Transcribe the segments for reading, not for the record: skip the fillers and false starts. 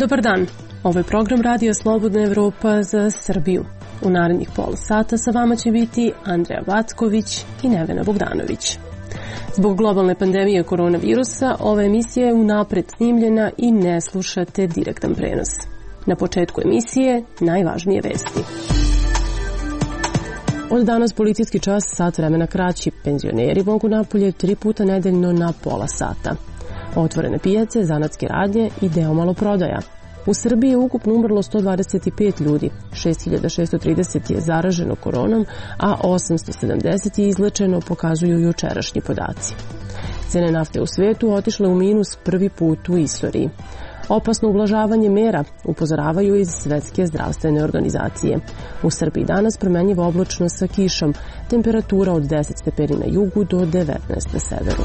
Dobar dan, ovo je program Radio Slobodna Evropa za Srbiju. U narednih pola sata sa vama će biti Andreja Vacković i Nevena Bogdanović. Zbog globalne pandemije koronavirusa, ova emisija je unapred snimljena i ne slušate direktan prenos. Na početku emisije najvažnije vesti. Od danas policijski čas sat vremena kraći. Penzioneri mogu napolje 3 puta nedeljno na pola sata. Otvorene pijace, zanatske radnje i deo maloprodaja. U Srbiji je ukupno umrlo 125 ljudi, 6630 je zaraženo koronom, a 870 je izlečeno, pokazuju jučerašnji podaci. Cene nafte u svetu otišle u minus prvi put u istoriji. Opasno ublažavanje mera, upozoravaju iz Svetske zdravstvene organizacije. U Srbiji danas promenjivo oblačno sa kišom, temperatura od 10 stepeni na jugu do 19 na severu.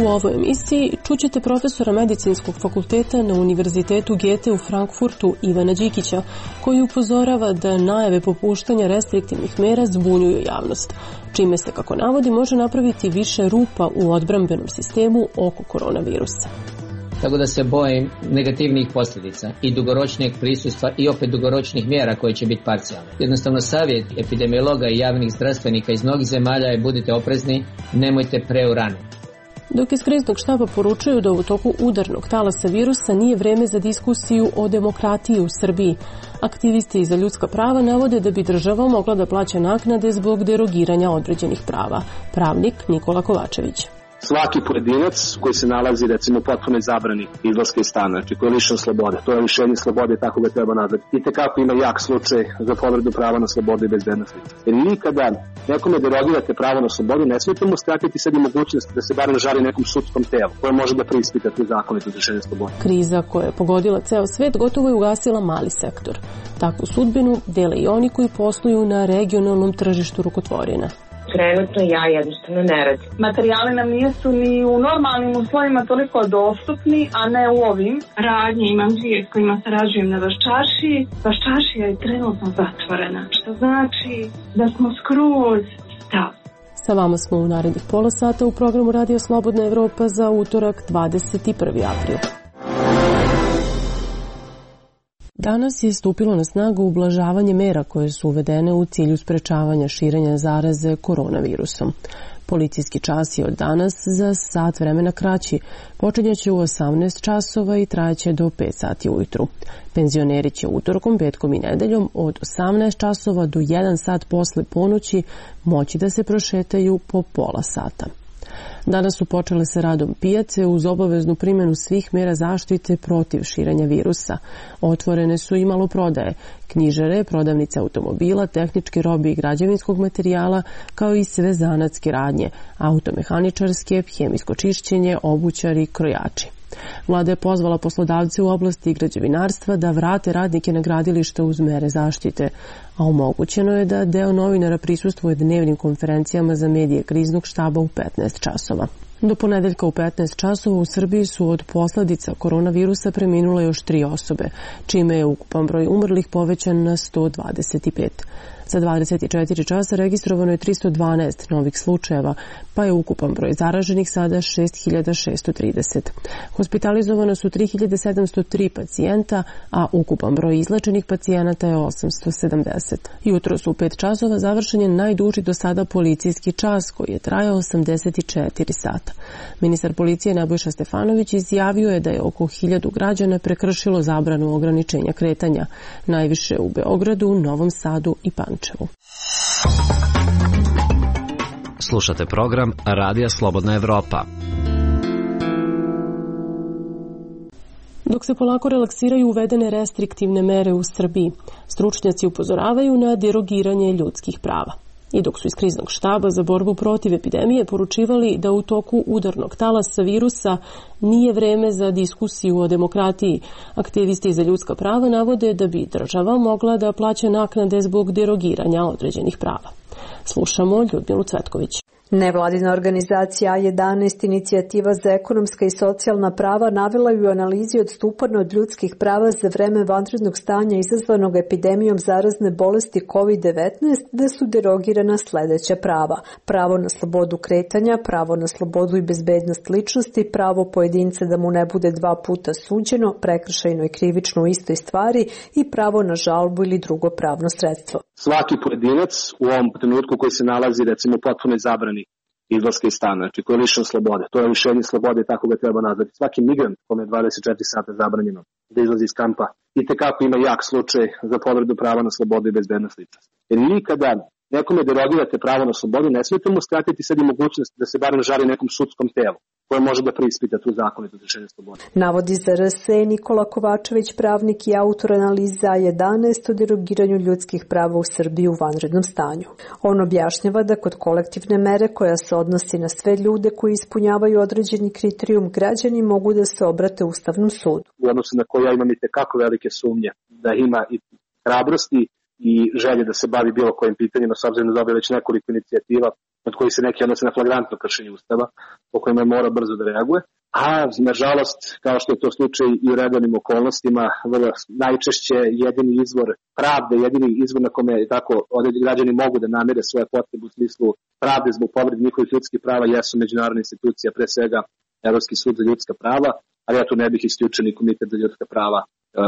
U ovoj emisiji čućete profesora Medicinskog fakulteta na Univerzitetu Goethe u Frankfurtu Ivana Đikića, koji upozorava da najave popuštanja restriktivnih mera zbunjuju javnost, čime se, kako navodi, može napraviti više rupa u odbrambenom sistemu oko koronavirusa. Tako da se bojim negativnih posljedica i dugoročnijeg prisustva i opet dugoročnih mjera koje će biti parcijalne. Jednostavno savjet epidemiologa i javnih zdravstvenika iz mnogih zemalja je budite oprezni, nemojte preurano. Dok iz kriznog štaba poručuju da u toku udarnog talasa virusa nije vreme za diskusiju o demokratiji u Srbiji. Aktivisti za ljudska prava navode da bi država mogla da plaća naknade zbog derogiranja određenih prava. Pravnik Nikola Kovačević. Svaki pojedinac koji se nalazi, recimo, u potpunoj zabrani izlaska iz stana, znači koji je lišen slobode, to je lišenje slobode i tako ga treba nazvati. I tekako ima jak slučaj za povredu prava na slobodu i bezbednosti. Jer nikada nekome derogirate pravo na slobodu, ne smijete mu skratiti sebi mogućnost da se barem žali nekom sudskom telu koje može da preispita tu zakonito lišenje slobode. Kriza koja je pogodila ceo svet gotovo je ugasila mali sektor. Takvu sudbinu dele i oni koji posluju na regionalnom tržištu rukotvorina. Trenutno ja jednostavno ne radim. Materijali nam nisu ni u normalnim uslovima toliko dostupni, a ne u ovim. Radnje imam 2 s kojima sarađujem na Vaščaršiji. Vaščaršija je trenutno zatvorena, što znači da smo skroz stav. Sa vama smo u narednih pola sata u programu Radio Slobodna Evropa za utorak 21. april. Danas je stupilo na snagu ublažavanje mera koje su uvedene u cilju sprečavanja širenja zaraze koronavirusom. Policijski čas je od danas za sat vremena kraći. Počinjaće u 18 časova i trajaće do 5 sati ujutru. Penzioneri će utorkom, petkom i nedeljom od 18 časova do 1 sat posle ponoći moći da se prošetaju po pola sata. Danas su počele sa radom pijace uz obaveznu primjenu svih mjera zaštite protiv širenja virusa. Otvorene su i maloprodaje, knjižare, prodavnice automobila, tehničke robe i građevinskog materijala, kao i sve zanatske radnje, automehaničarske, hemijsko čišćenje, obućari, krojači. Vlada je pozvala poslodavce u oblasti građevinarstva da vrate radnike na gradilišta uz mere zaštite, a omogućeno je da deo novinara prisustvuje dnevnim konferencijama za medije kriznog štaba u 15 časova. Do ponedeljka u 15 časova u Srbiji su od posljedica koronavirusa preminule još 3 osobe, čime je ukupan broj umrlih povećan na 125. Za 24 časa registrovano je 312 novih slučajeva, pa je ukupan broj zaraženih sada 6630. Hospitalizovano su 3703 pacijenta, a ukupan broj izlečenih pacijenata je 870. Jutro su u 5 časova završen je najduži do sada policijski čas koji je trajao 84 sata. Ministar policije Nebojša Stefanović izjavio je da je oko 1000 građana prekršilo zabranu ograničenja kretanja, najviše u Beogradu, Novom Sadu i Pančevu. Slušate program Radija Slobodna Evropa. Dok se polako relaksiraju uvedene restriktivne mere u Srbiji, stručnjaci upozoravaju na derogiranje ljudskih prava. I dok su iz kriznog štaba za borbu protiv epidemije poručivali da u toku udarnog talasa virusa nije vreme za diskusiju o demokratiji, aktivisti za ljudska prava navode da bi država mogla da plaća naknade zbog derogiranja određenih prava. Slušamo Ljudmilu Cvetković. Nevladina organizacija A11 Inicijativa za ekonomska i socijalna prava navela je u analizi odstupanja od ljudskih prava za vreme vanrednog stanja izazvanog epidemijom zarazne bolesti COVID-19 da su derogirana sledeća prava: pravo na slobodu kretanja, pravo na slobodu i bezbednost ličnosti, pravo pojedinca da mu ne bude 2 puta suđeno, prekršajno i krivično u istoj stvari i pravo na žalbu ili drugo pravno sredstvo. Svaki pojedinac u ovom trenutku koji se nalazi recimo u potpunoj zabrani izlaska iz stana, znači koji je lišen slobode, to je lišenje slobode i tako ga treba nazvati. Svaki migrant kome je 24 sata zabranjeno da izlazi iz kampa i tekako ima jak slučaj za povredu prava na slobodu i bezbednost ličnosti. Jer nikada nekome derogirate pravo na slobodu, ne smijete mu skratiti sad i mogućnost da se barem žali nekom sudskom telu koje može da preispita tu zakonitost lišenja slobode. Navodi za RS Nikola Kovačević, pravnik i autor analiza 11 o derogiranju ljudskih prava u Srbiji u vanrednom stanju. On objašnjava da kod kolektivne mere koja se odnosi na sve ljude koji ispunjavaju određeni kriterijum, građani mogu da se obrate Ustavnom sudu. U odnosu na koje ja imam i tekako velike sumnje da ima i hrabrosti i želje da se bavi bilo kojim pitanjima, s obzirom da dobije već nekoliko inicijativa od kojih se neki odnose na flagrantno kršenje Ustava, po kojima mora brzo da reaguje. A, nažalost, kao što je to slučaj i u redovnim okolnostima, najčešće jedini izvor pravde, jedini izvor na kome tako građani mogu da namire svoje potrebe u smislu pravde zbog povrede njihovih ljudskih prava jesu međunarodne institucije, pre svega Evropski sud za ljudska prava, ali ja tu ne bih isključio ni Komitet za ljudska prava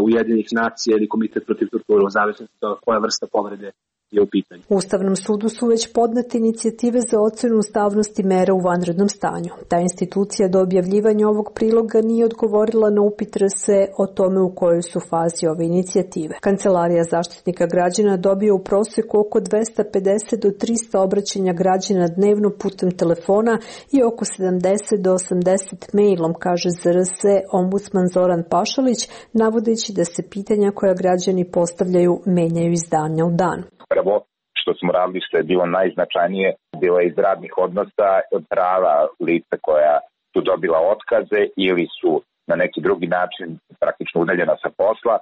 Ujedinjenih nacija ili Komitet protiv torture, u zavisnosti od koja vrsta povrede je u pitanju. U Ustavnom sudu su već podnete inicijative za ocenu ustavnosti mera u vanrednom stanju. Ta institucija do objavljivanja ovog priloga nije odgovorila na upit RS o tome u kojoj su fazi ove inicijative. Kancelarija Zaštitnika građana dobije u proseku oko 250 do 300 obraćanja građana dnevno putem telefona i oko 70 do 80 mailom, kaže za RS ombudsman Zoran Pašalić, navodeći da se pitanja koja građani postavljaju menjaju iz dana u dan. Prvo što smo radili, što je bilo najznačajnije, bilo je iz radnih odnosa prava lica koja su dobila otkaze ili su na neki drugi način praktično udaljena sa posla,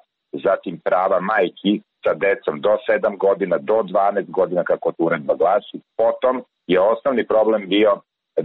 zatim prava majki sa decom do 7 godina, do 12 godina, kako to uredba glasi. Potom je osnovni problem bio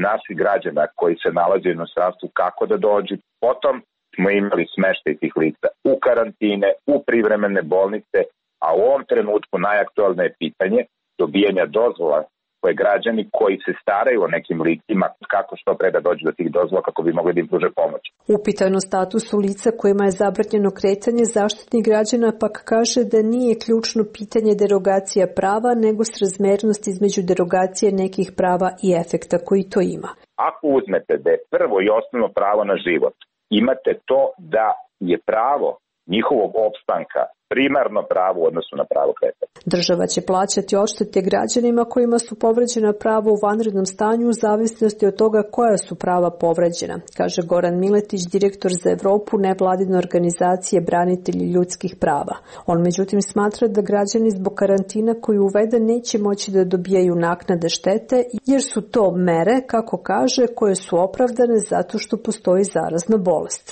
naših građana koji se nalaze u inostranstvu, kako da dođu. Potom smo imali smeštaj tih lica u karantine, u privremene bolnice, a u ovom trenutku najaktualnije pitanje dobijanja dozvola koje građani koji se staraju o nekim licima, kako što pre da dođu do tih dozvola kako bi mogli da im pruže pomoć. Upitano statusu lica kojima je zabranjeno kretanje, Zaštitnik građana pak kaže da nije ključno pitanje derogacija prava, nego srazmernost između derogacije nekih prava i efekta koji to ima. Ako uzmete da je prvo i osnovno pravo na život, imate to da je pravo njihovog opstanka primarno pravo u odnosu na pravo kretanja. Država će plaćati odštete građanima kojima su povređena prava u vanrednom stanju u zavisnosti od toga koja su prava povređena, kaže Goran Miletić, direktor za Evropu nevladine organizacije Branitelji ljudskih prava. On međutim smatra da građani zbog karantina koji uvede neće moći da dobijaju naknade štete, jer su to mere, kako kaže, koje su opravdane zato što postoji zarazna bolest.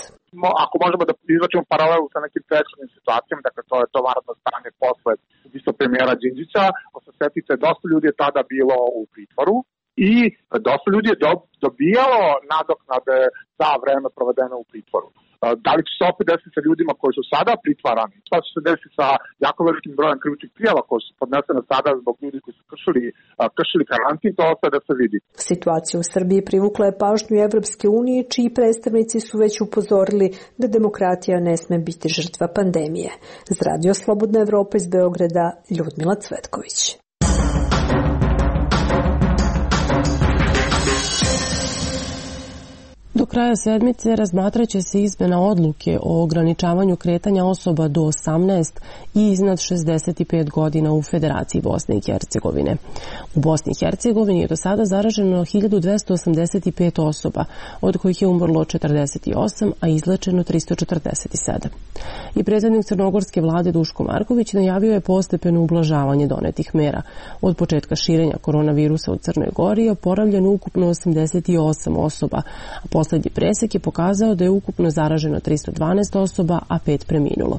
Ako možemo da izvačimo paralelu sa nekim prethodnim situacijama, dakle to je to vanredno stanje posle ubistva premijera Đinđića, ako se setite, dosta ljudi je tada bilo u pritvoru i dosta ljudi je dobijalo nadoknade za vreme provedeno u pritvoru. Da li će se opet desiti sa ljudima koji su sada pritvarani? Šta će se desiti sa jako velikim brojem krivičnih prijava koji su podnesene sada zbog ljudi koji su kršili karantin? To ostaje da se vidi. Situacija u Srbiji privukla je pažnju Evropske unije, čiji predstavnici su već upozorili da demokratija ne sme biti žrtva pandemije. Za Radio Slobodna Evropa iz Beograda, Ljudmila Cvetković. Do kraja sedmice razmatraće se izmena odluke o ograničavanju kretanja osoba do 18 i iznad 65 godina u Federaciji Bosne i Hercegovine. U Bosni i Hercegovini je do sada zaraženo 1285 osoba, od kojih je umrlo 48, a izlečeno 347. I predsjednik crnogorske vlade Duško Marković najavio je postepeno ublažavanje donetih mera. Od početka širenja koronavirusa u Crnoj Gori je oporavljeno ukupno 88 osoba, a poslednji presek je pokazao da je ukupno zaraženo 312 osoba, a 5 preminulo.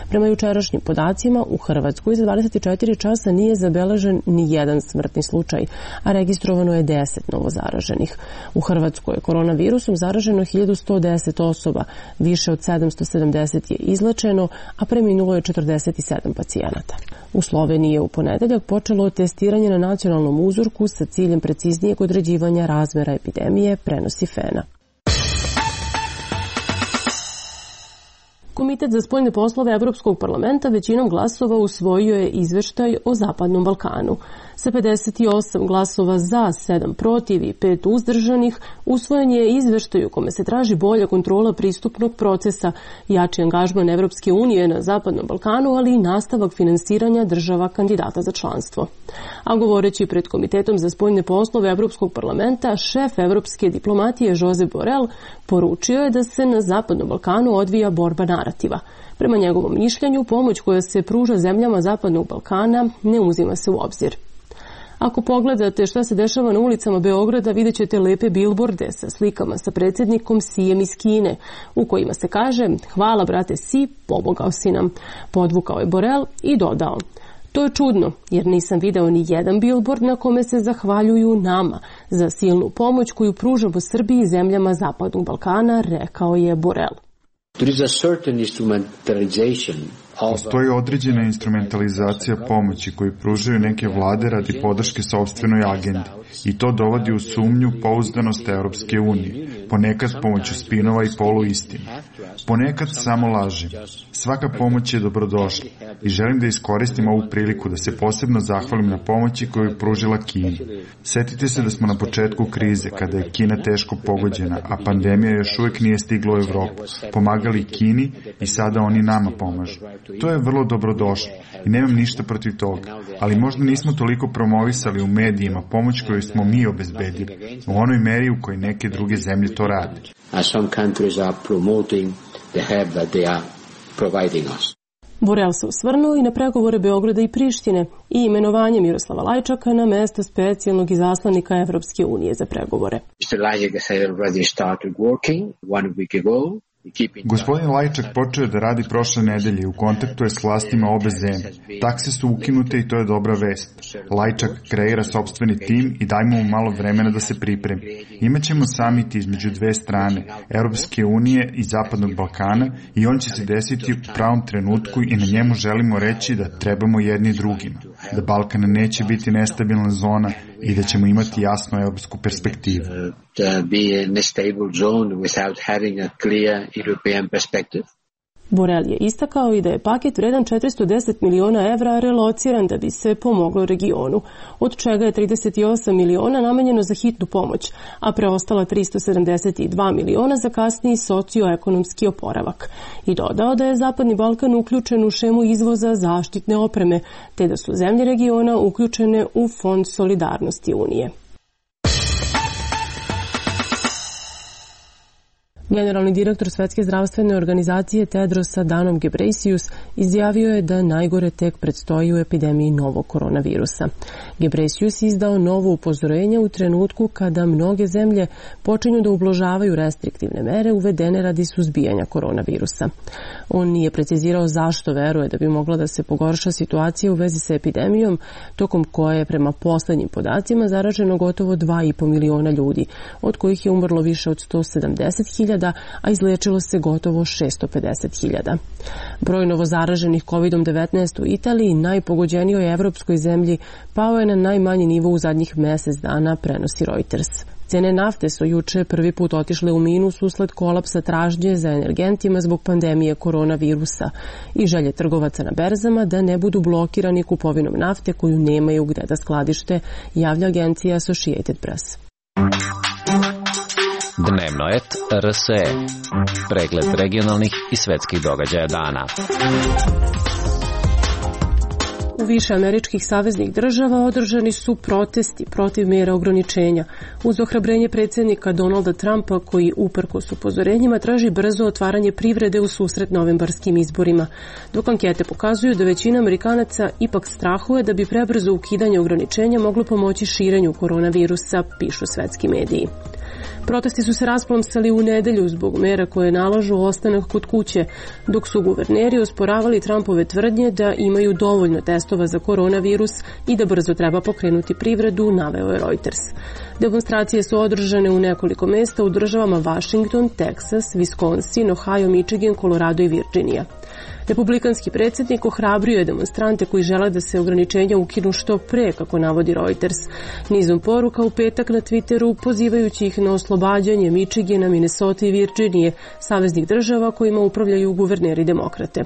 Prema jučerašnjim podacima, u Hrvatskoj za 24 časa nije zabeležen ni jedan smrtni slučaj, a registrovano je 10 novozaraženih. U Hrvatskoj je koronavirusom zaraženo 1110 osoba, više od 770 je izlečeno, a preminulo je 47 pacijenata. U Sloveniji je u ponedeljak počelo testiranje na nacionalnom uzorku sa ciljem preciznijeg određivanja razmera epidemije, prenosi FENA. Komitet za spoljne poslove Evropskog parlamenta većinom glasova usvojio je izveštaj o Zapadnom Balkanu. Sa 58 glasova za, 7 protiv i 5 uzdržanih, usvojen je izveštaj u kome se traži bolja kontrola pristupnog procesa, jači angažman Evropske unije na Zapadnom Balkanu, ali i nastavak finansiranja država kandidata za članstvo. A govoreći pred Komitetom za spoljne poslove Evropskog parlamenta, šef evropske diplomatije Josep Borrell poručio je da se na Zapadnom Balkanu odvija borba narativa. Prema njegovom mišljenju, pomoć koja se pruža zemljama Zapadnog Balkana ne uzima se u obzir. Ako pogledate šta se dešava na ulicama Beograda, vidjet ćete lepe bilborde sa slikama sa predsjednikom Sijem iz Kine, u kojima se kaže "Hvala brate Si, pomogao si nam", podvukao je Borrell i dodao: "To je čudno, jer nisam video ni jedan bilbord na kome se zahvaljuju nama za silnu pomoć koju pružamo Srbiji i zemljama Zapadnog Balkana", rekao je Borrell. Postoji određena instrumentalizacija pomoći koju pružaju neke vlade radi podrške sopstvenoj agendi i to dovodi u sumnju pouzdanost Europske unije, ponekad pomoću spinova i poluistina. Ponekad samo laži. Svaka pomoć je dobrodošla i želim da iskoristim ovu priliku da se posebno zahvalim na pomoći koju je pružila Kina. Setite se da smo na početku krize, kada je Kina teško pogođena, a pandemija još uvijek nije stigla u Evropu. Pomagali Kini i sada oni nama pomažu. To je vrlo dobrodošlo i nemam ništa protiv toga, ali možda nismo toliko promovisali u medijima pomoć koju smo mi obezbedili, u onoj meri u kojoj neke druge zemlje to rade. Borrell se osvrnuo i na pregovore Beograda i Prištine i imenovanje Miroslava Lajčaka na mesto specijalnog izaslanika Evropske unije za pregovore. Gospodin Lajčak počeo je da radi prošle nedelje i u kontaktu je s vlastima obe zemlje. Takse su ukinute i to je dobra vest. Lajčak kreira sopstveni tim i dajmo mu malo vremena da se pripremi. Imaćemo samit između dve strane, Europske unije i Zapadnog Balkana, i on će se desiti u pravom trenutku i na njemu želimo reći da trebamo jedni drugima, da Balkan neće biti nestabilna zona i da ćemo imati jasnu europsku perspektivu. Borrell je istakao i da je paket vredan 410 miliona evra relociran da bi se pomoglo regionu, od čega je 38 miliona namenjeno za hitnu pomoć, a preostala 372 miliona za kasniji socioekonomski oporavak. I dodao da je Zapadni Balkan uključen u šemu izvoza zaštitne opreme, te da su zemlje regiona uključene u Fond solidarnosti Unije. Generalni direktor Svetske zdravstvene organizacije Tedros Adhanom Ghebreyesus izjavio je da najgore tek predstoji u epidemiji novog koronavirusa. Ghebreyesus izdao novo upozorenje u trenutku kada mnoge zemlje počinju da ublažavaju restriktivne mere uvedene radi suzbijanja koronavirusa. On nije precizirao zašto veruje da bi mogla da se pogorša situacija u vezi sa epidemijom, tokom koje je prema poslednjim zaraženo gotovo 2,5 miliona ljudi, od kojih je umrlo više od 170.000, a izlečilo se gotovo 650.000. Broj novozaraženih COVID-19 u Italiji, najpogođenijoj evropskoj zemlji, pao je na najmanji nivo u zadnjih mesec dana, prenosi Reuters. Cene nafte su juče prvi put otišle u minus usled kolapsa tražnje za energentima zbog pandemije koronavirusa i želje trgovaca na berzama da ne budu blokirani kupovinom nafte koju nemaju gde da skladište, javlja agencija Associated Press. Dnevno et RSE. Pregled regionalnih i svetskih događaja dana. U više američkih saveznih država održani su protesti protiv mjera ograničenja, uz ohrabrenje predsjednika Donalda Trumpa koji uprkos upozorenjima traži brzo otvaranje privrede u susret novembarskim izborima, dok ankete pokazuju da većina Amerikanaca ipak strahuje da bi prebrzo ukidanje ograničenja moglo pomoći širenju koronavirusa, pišu svetski mediji. Protesti su se rasplamsali u nedelju zbog mera koje nalažu ostanak kod kuće, dok su guverneri osporavali Trumpove tvrdnje da imaju dovoljno testova za koronavirus i da brzo treba pokrenuti privredu, naveo je Reuters. Demonstracije su održane u nekoliko mesta u državama Washington, Texas, Wisconsin, Ohio, Michigan, Colorado i Virginia. Republikanski predsjednik ohrabrio je demonstrante koji žele da se ograničenja ukinu što pre, kako navodi Reuters, nizom poruka u petak na Twitteru, pozivajući ih na oslobađanje Michigana, Minnesota i Virginije, saveznih država kojima upravljaju guverneri demokrate.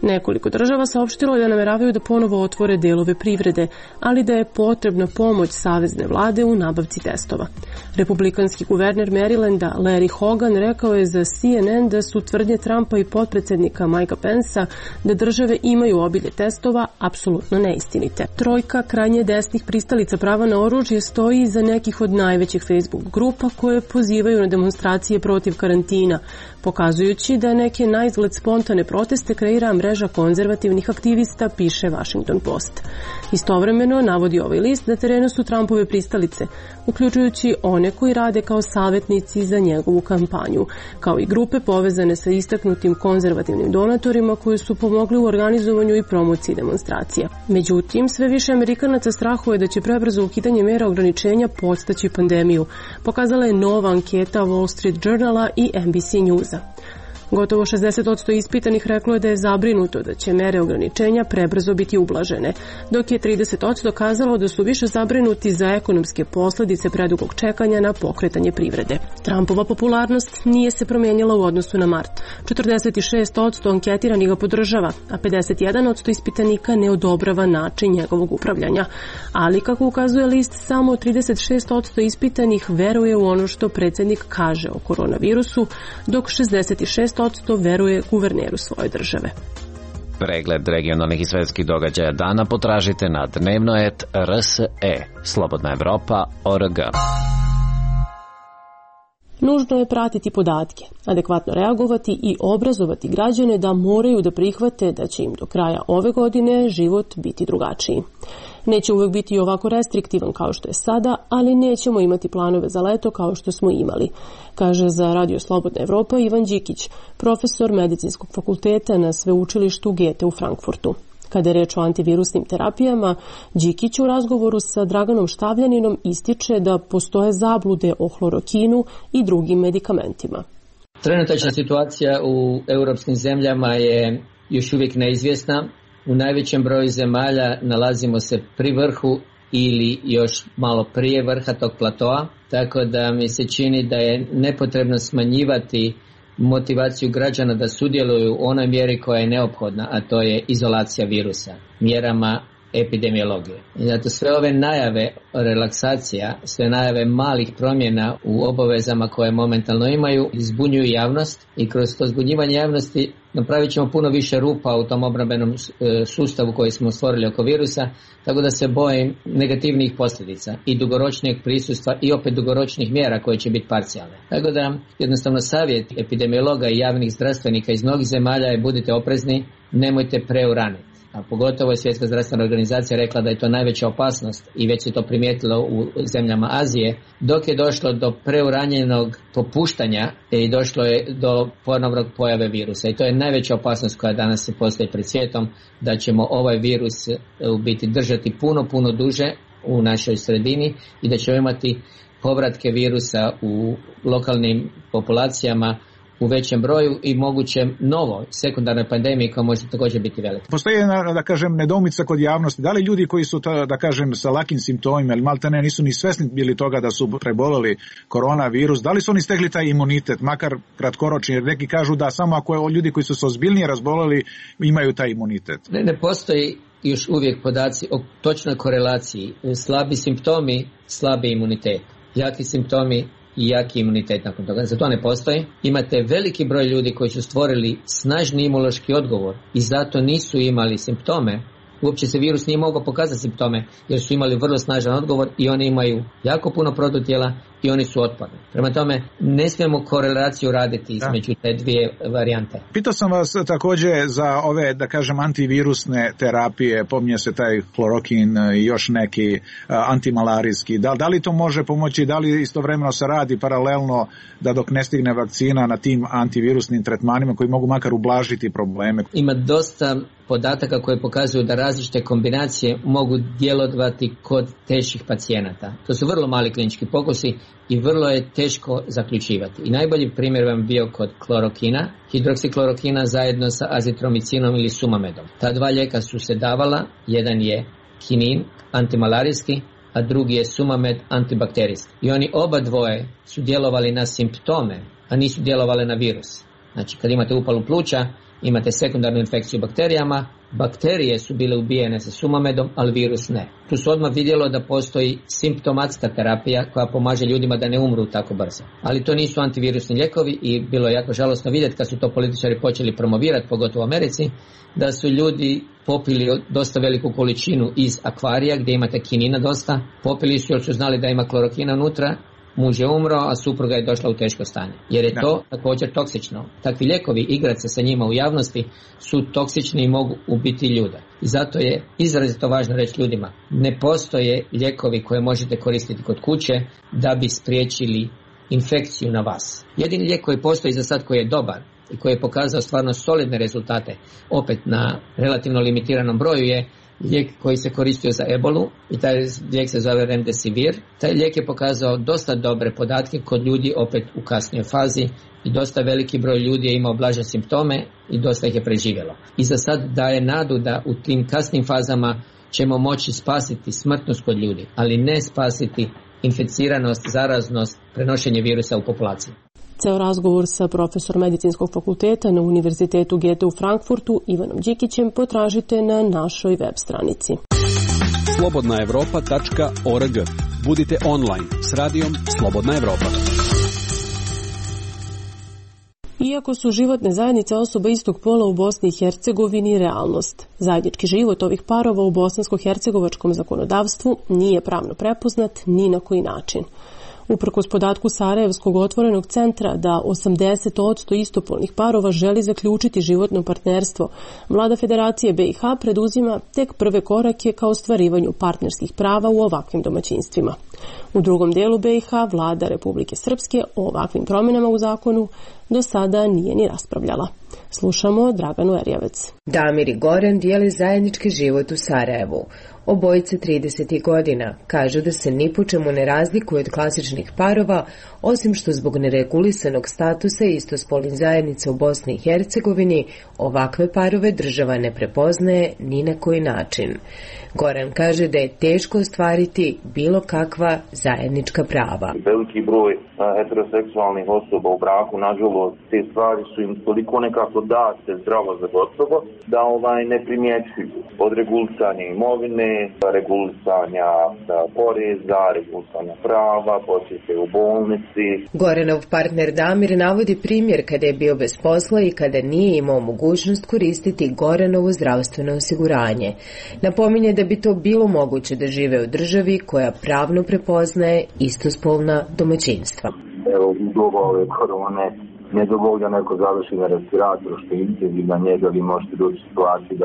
Nekoliko država saopštilo je da nameravaju da ponovo otvore delove privrede, ali da je potrebna pomoć savezne vlade u nabavci testova. Republikanski guverner Marylanda Larry Hogan rekao je za CNN da su tvrdnje Trumpa i potpredsednika Mikea Pensa da države imaju obilje testova apsolutno neistinite. Trojka krajnje desnih pristalica prava na oružje stoji iza nekih od najvećih Facebook grupa koje pozivaju na demonstracije protiv karantina, pokazujući da neke naizgled spontane proteste kreira mreža konzervativnih aktivista, piše Washington Post. Istovremeno, navodi ovaj list, na terenu su Trumpove pristalice, uključujući one koji rade kao savjetnici za njegovu kampanju, kao i grupe povezane sa istaknutim konzervativnim donatorima koji su pomogli u organizovanju i promociji demonstracija. Međutim, sve više Amerikanaca strahuje da će prebrzo ukidanje mera ograničenja podstaći pandemiju, pokazala je nova anketa Wall Street Journala i NBC Newsa. Gotovo 60% ispitanih reklo je da je zabrinuto da će mere ograničenja prebrzo biti ublažene, dok je 30% kazalo da su više zabrinuti za ekonomske posljedice predugog čekanja na pokretanje privrede. Trumpova popularnost nije se promijenila u odnosu na mart. 46% anketiranih ga podržava, a 51% ispitanika ne odobrava način njegovog upravljanja. Ali, kako ukazuje list, samo 36% ispitanih veruje u ono što predsjednik kaže o koronavirusu, dok 66% veruje guverneru svoje države. Pregled regionalnih i svetskih događaja dana potražite na dnevno.rse, slobodnaevropa.org. Nužno je pratiti podatke, adekvatno reagovati i obrazovati građane da moraju da prihvate da će im do kraja ove godine život biti drugačiji. Neće uvek biti ovako restriktivan kao što je sada, ali nećemo imati planove za leto kao što smo imali, kaže za Radio Slobodna Evropa Ivan Đikić, profesor medicinskog fakulteta na sveučilištu Goethe u Frankfurtu. Kada je reč o antivirusnim terapijama, Đikić u razgovoru sa Draganom Štavljaninom ističe da postoje zablude o hlorokinu i drugim medikamentima. Trenutačna situacija u europskim zemljama je još uvijek neizvjesna. U najvećem broju zemalja nalazimo se pri vrhu ili još malo prije vrha tog platoa, tako da mi se čini da je nepotrebno smanjivati motivaciju građana da sudjeluju u onoj mjeri koja je neophodna, a to je izolacija virusa, mjerama epidemiologije. I zato sve ove najave relaksacija, sve najave malih promjena u obavezama koje momentalno imaju, zbunjuju javnost i kroz to zbunjivanje javnosti napravit ćemo puno više rupa u tom obrambenom sustavu koji smo stvorili oko virusa, tako da se bojim negativnih posljedica i dugoročnijeg prisustva i opet dugoročnih mjera koje će biti parcijalne. Tako da jednostavno savjet epidemiologa i javnih zdravstvenika iz mnogih zemalja je budite oprezni, nemojte preuraniti. A pogotovo je Svjetska zdravstvena organizacija rekla da je to najveća opasnost i već se to primijetilo u zemljama Azije, dok je došlo do preuranjenog popuštanja i došlo je do ponovnog pojave virusa. I to je najveća opasnost koja danas se postoji pred svijetom, da ćemo ovaj virus u biti držati puno duže u našoj sredini i da ćemo imati povratke virusa u lokalnim populacijama u većem broju i moguće novo sekundarnoj pandemiji koja može također biti velika. Postoji jedna, da kažem, nedoumica kod javnosti. Da li ljudi koji su, da kažem, sa lakim simptomima ili maltene nisu ni svesni bili toga da su preboleli koronavirus, da li su oni stekli taj imunitet, makar kratkoročni, jer neki kažu da samo ako ljudi koji su se ozbiljnije razboleli imaju taj imunitet? Ne postoji još uvijek podaci o točnoj korelaciji. Slabi simptomi, slabi imunitet. Jaki simptomi i jaki imunitet nakon toga. Za to ne postoji. Imate veliki broj ljudi koji su stvorili snažni imunološki odgovor i zato nisu imali simptome. Uopće se virus nije mogao pokazati simptome jer su imali vrlo snažan odgovor i oni imaju jako puno protutijela i oni su otporni. Prema tome, ne smijemo korelaciju raditi između te dvije varijante. Pitao sam vas također za ove, da kažem, antivirusne terapije, pominje se taj klorokin i još neki antimalarijski. Da li to može pomoći, da li istovremeno se radi paralelno da dok ne stigne vakcina na tim antivirusnim tretmanima koji mogu makar ublažiti probleme? Ima dosta podataka koje pokazuju da različite kombinacije mogu djelovati kod teških pacijenata. To su vrlo mali klinički pokusi i vrlo je teško zaključivati. I najbolji primjer vam bio kod klorokina, hidroksiklorokina zajedno sa azitromicinom ili sumamedom. Ta dva lijeka su se davala, jedan je kinin, antimalarijski, a drugi je sumamed, antibakterijski. I oni oba dvoje su djelovali na simptome, a nisu djelovali na virus. Znači, kad imate upalu pluća, imate sekundarnu infekciju bakterijama, bakterije su bile ubijene sa sumamedom, ali virus ne. Tu se odmah vidjelo da postoji simptomatska terapija koja pomaže ljudima da ne umru tako brzo. Ali to nisu antivirusni lijekovi i bilo je jako žalosno vidjeti kad su to političari počeli promovirati, pogotovo u Americi, da su ljudi popili dosta veliku količinu iz akvarija gdje imate kinina dosta, popili su jer su znali da ima klorokina unutra, muž je umro, a supruga je došla u teško stanje. Jer je to također toksično. Takvi lijekovi, igrati se sa njima u javnosti, su toksični i mogu ubiti ljude. I zato je izrazito važno reći ljudima, ne postoje lijekovi koje možete koristiti kod kuće da bi spriječili infekciju na vas. Jedini lijek koji postoji za sad koji je dobar i koji je pokazao stvarno solidne rezultate, opet na relativno limitiranom broju, je lijek koji se koristio za ebolu i taj lijek se zove Remdesivir. Taj lijek je pokazao dosta dobre podatke kod ljudi opet u kasnijoj fazi i dosta veliki broj ljudi je imao blaže simptome i dosta ih je preživjelo. I za sad daje nadu da u tim kasnim fazama ćemo moći spasiti smrtnost kod ljudi, ali ne spasiti inficiranost, zaraznost, prenošenje virusa u populaciji. Ceo razgovor sa profesorom medicinskog fakulteta na Univerzitetu Goethe u Frankfurtu Ivanom Đikićem potražite na našoj web stranici. slobodnaevropa.org. Budite online s radijom Slobodna Evropa. Iako su životne zajednice osoba istog pola u Bosni i Hercegovini realnost, zajednički život ovih parova u bosansko-hercegovačkom zakonodavstvu nije pravno prepoznat ni na koji način. Uprkos podatku Sarajevskog otvorenog centra da 80% istopolnih parova želi zaključiti životno partnerstvo, Vlada Federacije BiH preduzima tek prve korake ka ostvarivanju partnerskih prava u ovakvim domaćinstvima. U drugom delu BiH Vlada Republike Srpske o ovakvim promjenama u zakonu do sada nije ni raspravljala. Slušamo Draganu Erjavec. Damir i Goran dijele zajednički život u Sarajevu. Obojice 30 godina kažu da se ni po čemu ne razlikuju od klasičnih parova, osim što zbog neregulisanog statusa istospolnih zajednica u Bosni i Hercegovini ovakve parove država ne prepoznaje ni na koji način. Goran kaže da je teško ostvariti bilo kakva zajednička prava. Veliki broj heteroseksualnih osoba u braku, nažalost, te stvari su im toliko nekako date zdravo za gotovo, da ne primjećuju. Od regulisanja imovine, regulisanja poreza, regulisanja prava, posjete u bolnici. Goranov partner Damir navodi primjer kada je bio bez posla i kada nije imao mogućnost koristiti Goranovo zdravstveno osiguranje. Napominje da bi to bilo moguće da žive u državi koja pravno prepoznaje istospolna domaćinstva. Evo, u doba ove korone ne dovoljno neko završi na respiratoru što je intenzivna njega, vi možete doći u situaciju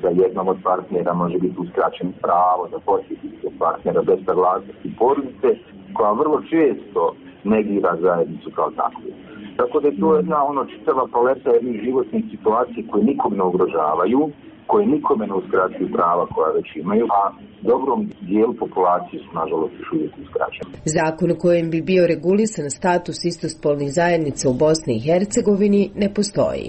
da jednom od partnera može biti uskraćeno pravo da posjeti partnera bez saglasnosti porodice, koja vrlo često negira zajednicu kao takvu. Tako da je to jedna čitava paleta jednih životnih situacija koje nikog ne ugrožavaju, koje nikome ne uskraćuju prava koja već imaju, a dobrom dijelu populacije su nažalost još uvijek uskraćeni. Zakon u kojem bi bio regulisan status istospolnih zajednica u Bosni i Hercegovini ne postoji.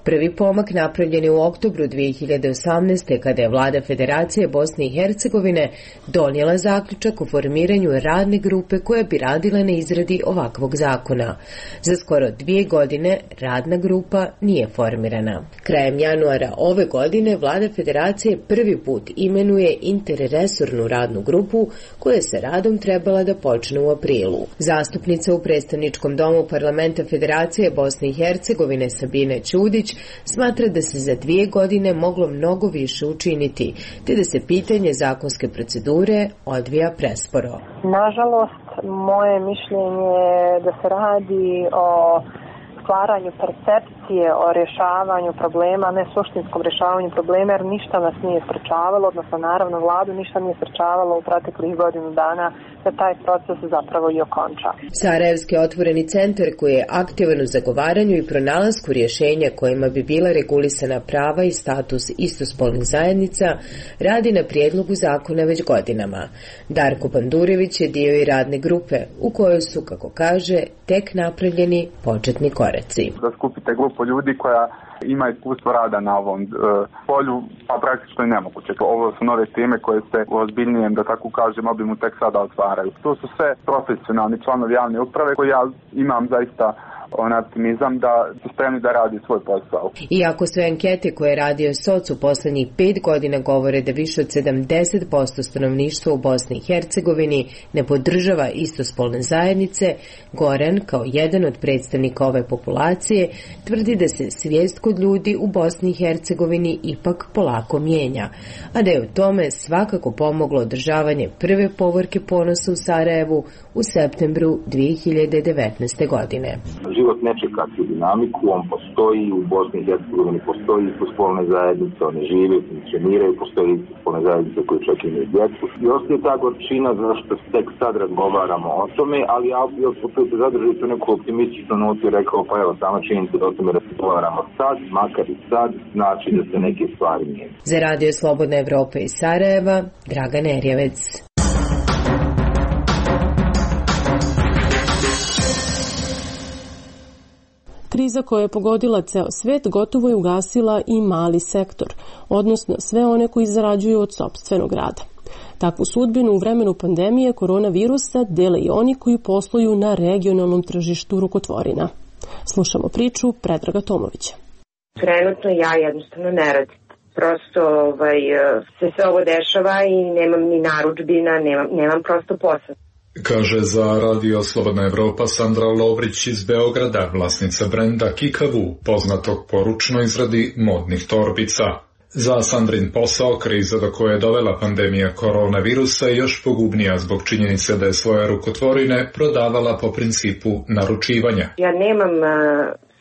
Prvi pomak napravljen je u oktobru 2018. kada je Vlada Federacije Bosne i Hercegovine donijela zaključak o formiranju radne grupe koja bi radila na izradi ovakvog zakona. Za skoro 2 godine radna grupa nije formirana. Krajem januara ove godine Vlada Federacije prvi put imenuje interresornu radnu grupu koja se radom trebala da počne u aprilu. Zastupnica u predstavničkom domu Parlamenta Federacije Bosne i Hercegovine Sabina Ćudić smatra da se za 2 godine moglo mnogo više učiniti, te da se pitanje zakonske procedure odvija presporo. Nažalost, Moje mišljenje je da se radi o stvaranju percepcije o rješavanju problema, ne suštinskom rješavanju problema, jer ništa nas nije sprečavalo, odnosno naravno vladu ništa nije sprečavalo u proteklih godinu dana da taj proces zapravo i okonča. Sarajevski otvoreni centar koji je aktivan u zagovaranju i pronalasku rješenja kojima bi bila regulisana prava i status istospolnih zajednica radi na prijedlogu zakona već godinama. Darko Pandurević je dio i radne grupe u kojoj su, kako kaže, tek napravljeni početni koreci. Da skupite grupu ljudi koja ima iskustvo rada na ovom polju, pa praktično je nemoguće. Ovo su nove teme koje se u ozbiljnijem, da tako kažem, obimu tek sada otvaraju. To su sve profesionalni članovi javne uprave koji ja imam zaista optimizam da su spremni da radi svoj posao. Iako sve ankete koje je radio SOC u poslednjih 5 godina govore da više od 70% stanovništva u Bosni i Hercegovini ne podržava istospolne zajednice, Goran, kao jedan od predstavnika ove populacije, tvrdi da se svijest kod ljudi u Bosni i Hercegovini ipak polako mijenja, a da je u tome svakako pomoglo održavanje prve povorke ponosa u Sarajevu u septembru 2019. godine. Život ne čeka tu dinamiku, on postoji, u Bosni i Hercegovini postoji istospolne zajednice, one žive, funkcioniraju, postoji istospolne zajednice koje čak imaju djecu. I ostaje ta gorčina zašto tek sad razgovaramo o tome, ali ja bih opet zadržao tu neku optimističnu notu i rekao, pa evo, sama činjenica da o tome razgovaramo sad, makar i sad, znači da se neke stvari mijenjaju. Za Radio Slobodna Evropa iz Sarajeva, Dragan Erjevec. Kriza koja je pogodila ceo svet gotovo je ugasila i mali sektor, odnosno sve one koji zarađuju od sopstvenog rada. Takvu sudbinu u vremenu pandemije koronavirusa dele i oni koji posluju na regionalnom tržištu rukotvorina. Slušamo priču Predraga Tomovića. Trenutno ja jednostavno ne radim. Prosto se sve ovo dešava i nemam ni narudžbina, nemam prosto posao. Kaže za Radio Slobodna Evropa Sandra Lovrić iz Beograda, vlasnica brenda Kikavu, poznatog po ručnoj izradi modnih torbica. Za Sandrin posao kriza do koje je dovela pandemija koronavirusa je još pogubnija zbog činjenice da je svoje rukotvorine prodavala po principu naručivanja. Ja nemam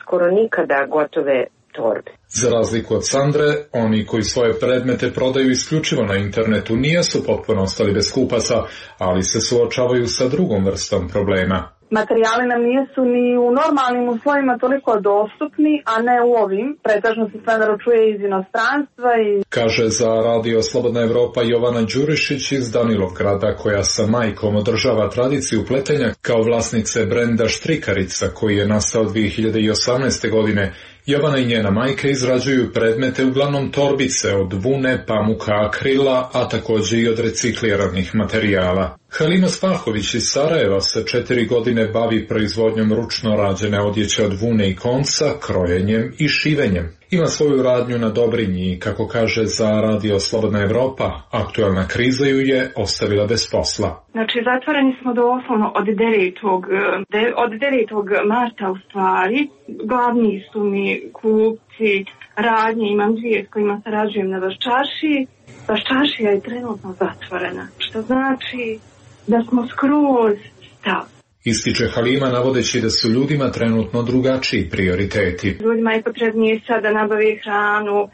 skoro nikada gotove torbe. Za razliku od Sandre, oni koji svoje predmete prodaju isključivo na internetu nisu potpuno ostali bez kupaca, ali se suočavaju sa drugom vrstom problema. Materijali nam nisu ni u normalnim uslovima toliko dostupni, a ne u ovim. Pretežno se sve naručuje iz inostranstva. Kaže za Radio Slobodna Evropa Jovana Đurišić iz Danilovgrada, koja sa majkom održava tradiciju pletenja kao vlasnice brenda Štrikarica, koji je nastao 2018. godine. Jovana i njena majka izrađuju predmete uglavnom torbice od vune, pamuka, akrila, a također i od recikliranih materijala. Halina Spahović iz Sarajeva se 4 godine bavi proizvodnjom ručno rađene odjeće od vune i konca, krojenjem i šivenjem. Ima svoju radnju na Dobrinji i, kako kaže za Radio Slobodna Evropa, aktualna kriza ju je ostavila bez posla. Znači, zatvoreni smo doslovno od 9. marta u stvari. Glavni su mi kupci radnje, imam 2 s kojima sarađujem na Vaščaršiji. Vaščaršija je trenutno zatvorena, što znači da smo skroz stali. Ističe Halima navodeći da su ljudima trenutno drugačiji prioriteti. Ljudima je potrebnije sad da nabave hranu,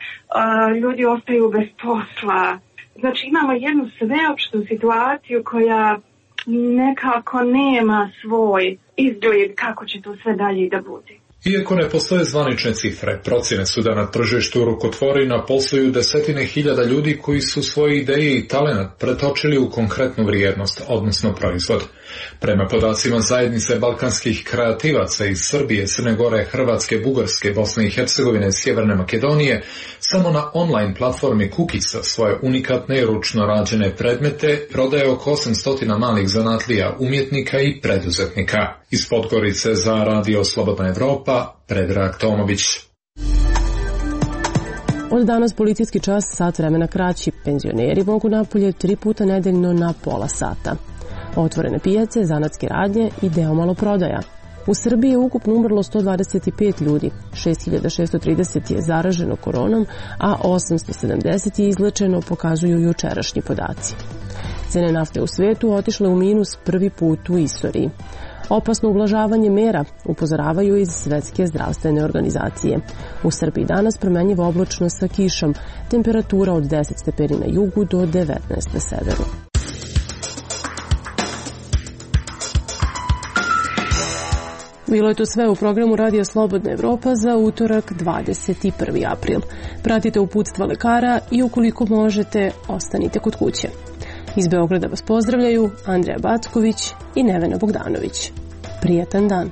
ljudi ostaju bez posla. Znači imamo jednu sveopštu situaciju koja nekako nema svoj izgled kako će to sve dalje da bude. Iako ne postoje zvanične cifre, procjene su da na tržištu rukotvorina posluju desetine hiljada ljudi koji su svoje ideje i talenat pretočili u konkretnu vrijednost, odnosno proizvod. Prema podacima zajednice balkanskih kreativaca iz Srbije, Crne Gore, Hrvatske, Bugarske, Bosne i Hercegovine i Sjeverne Makedonije, samo na online platformi Kukica svoje unikatne i ručno rađene predmete prodaje oko 800 malih zanatlija, umjetnika i preduzetnika. Iz Podgorice za Radio Slobodna Evropa, Predrag Tomović. Od danas policijski čas sat vremena kraći. Penzioneri mogu napolje 3 puta nedeljno na pola sata. Otvorene pijace, zanatske radnje i deo maloprodaja. U Srbiji je ukupno umrlo 125 ljudi, 6630 je zaraženo koronom, a 870 je izlečeno, pokazuju jučerašnji podaci. Cene nafte u svetu otišle u minus prvi put u istoriji. Opasno ublažavanje mera, upozoravaju iz Svetske zdravstvene organizacije. U Srbiji danas promenjiva oblačno sa kišom, temperatura od 10 stepeni na jugu do 19 na severu. Bilo je to sve u programu Radija Slobodna Evropa za utorak 21. april. Pratite uputstva lekara i ukoliko možete, ostanite kod kuće. Iz Beograda vas pozdravljaju Andreja Backović i Nevena Bogdanović. Prijatan dan!